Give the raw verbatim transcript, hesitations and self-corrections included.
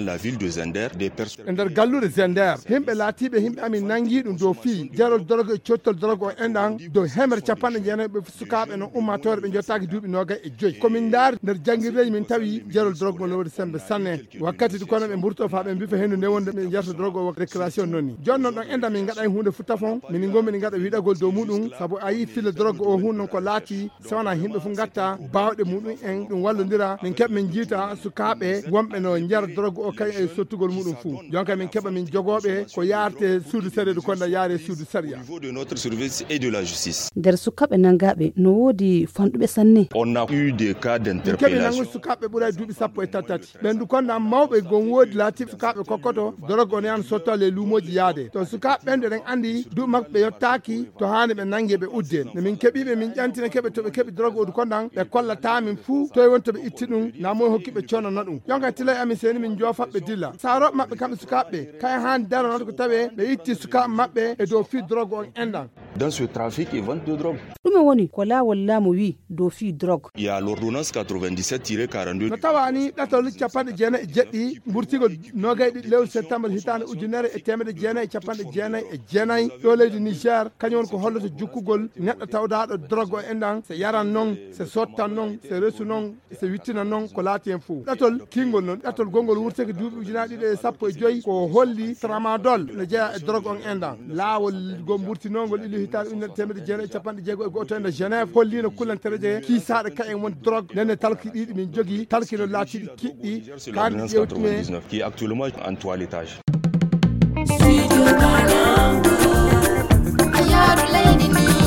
La ville de Zender, des personnes. E nder galluure Zender, yimɓe laatiiɓe yimɓe amin nangi ɗum dow fii jarol drogue e cottol drogue o enɗan dow hemre capanɗe jeenayi ɓe sukaaɓe no ummaatoore ɓe jottaaki duuɓi noogay e joyi. Ko min ndaari nder janngirdeeji min tawi jarol drogue mo no woodi semmbe sanne. Wakkati ɗi kono ɓe mburto faa ɓe mbifa henndu nde wonde ɓe jarta drogue o récréation noni. Jooni noon ɗon enɗan min ngaɗay huunde fu tafon, min ngommi min ngaɗa wiɗagol dow muɗum, sabu a yii filla drogue o hun noon ko laati, so wonaa yimɓe fu ngatta baawɗe muɗum en ɗum wallondira, min keɓa min jiita sukaaɓe wonɓe no njara drogue o kay e sottugol muɗum fu. Jonka min keɓa min jogooɓe ko yaarte suudu sariya, ɗum konda yaare suudu sariya. Au niveau de notre service et de la justice. Nder sukaaɓe nangaaɓe no woodi fanɗuɓe sanne. On a eu des cas d'interpellation. Min keɓi nangu sukaaɓe ɓuray duuɓi sappo e tati tati. Ɓendu konda mawɓe gon woodi laatiiɓe sukaaɓe kokkoto drogue on yahan sotto e luumooji yaade. To sukaaɓe ɓen ɗen anndi duuɓi maɓɓe ɓe yottaaki to haani ɓe nangee ɓe uddee. No min keɓiiɓe min ƴantina keɓe to ɓe keɓi drogue o du kondan ɓe kollata min fuu toy woni to ɓe itti ɗum naa moy hokki ɓe coono na ɗum. Jonka tilay amin seeni min joofa ɓe dilla. Saarooɓe maɓɓe kamɓe sukaaɓe ɓe kay haani daro noon ko tawee ɓe itti sukaaɓe maɓɓe e dow fii drogue on enɗan. Dans ce trafic et vente de drogue. Ɗume woni ko laawol laamu wi dow fii drogue? Il y a l'ordonnance quatre-vingt-dix-sept tiret quarante-deux. No tawaani ɗatol capanɗe jeenayi e jeɗɗi mburtigol noogay ɗiɗi lewru septembre hitaande ujunere e teemedde jeenayi e capanɗe jeenayi e jeenayi ɗo leydi Niger, kañum woni ko holloto jukkugol neɗɗo tawdaaɗo drogue o enɗan, se yaran noon, se sottan noon, se resu noon, se wittina noon ko laati heen fof. Ɗatol kiingol noon, ɗatol gonngol wurtake duuɓi ujunaaji ɗiɗi e sappo e joy, ko holli tramadol no jeyaa e drogue on enɗan. Laawol ngol mburtinoongol ilu hitaande ujunere teemedde jeenayi e capanɗe jeego e go'oto e nder Genève holliino kullantereeje kiisaaɗe kayen won drogue. Ndenne talki ɗiɗi min jogii, talki no laatiiɗi kiɗɗi, kaandi ƴeewtine. Qui est actuellement en toilettage. Ayaaru leydi ndi.